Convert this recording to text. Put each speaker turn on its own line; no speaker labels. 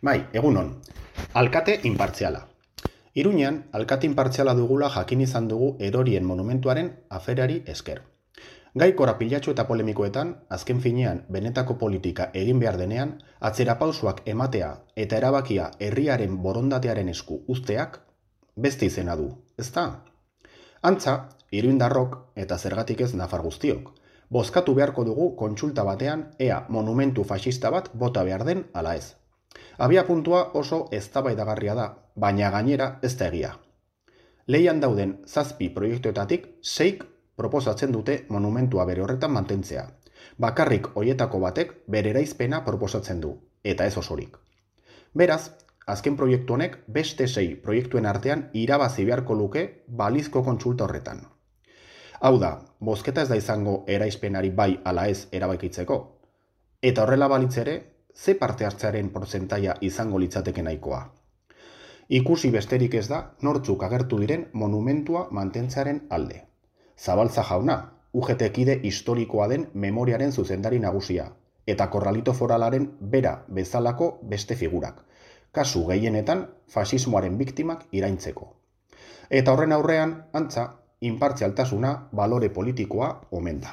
Bai, egunon. Alkate inpartziala. Iruñean, alkate inpartziala dugula jakin izan dugu Erorien monumentuaren aferari esker. Gai korapilatxu eta polemikoetan, azken finean benetako politika egin behar denean, atzerapausoak ematea eta erabakia herriaren borondatearen esku uzteak beste izena du, ezta? Antza, iruindarrok eta zergatik ez nafar guztiok, bozkatu beharko dugu kontsulta batean ea monumentu faxista bat bota behar den ala ez. Abia puntua oso eztabaidagarria da, baina gainera ez da egia. Lehian dauden 7 proiektuetatik 6 proposatzen dute monumentua bere horretan mantentzea. Bakarrik hoietako batek bere eraizpena proposatzen du, eta ez osorik. Beraz, azken proiektu honek beste 6 proiektuen artean irabazi beharko luke balizko kontsulta horretan. Hau da, bozketa ez da izango eraizpenari bai ala ez erabakitzeko. Eta horrela balitz ere, ze parte hartzearen portzentaia izango litzateke nahikoa. Ikusi besterik ez da nortzuk agertu diren monumentua mantentzearen alde. Zabaltza jauna, UGT kide historikoa den memoriaren zuzendari nagusia, eta Korralito Foralaren bera bezalako beste figurak, kasu gehienetan faxismoaren biktimak iraintzeko. Eta horren aurrean, antza, inpartzialtasuna balore politikoa omen da.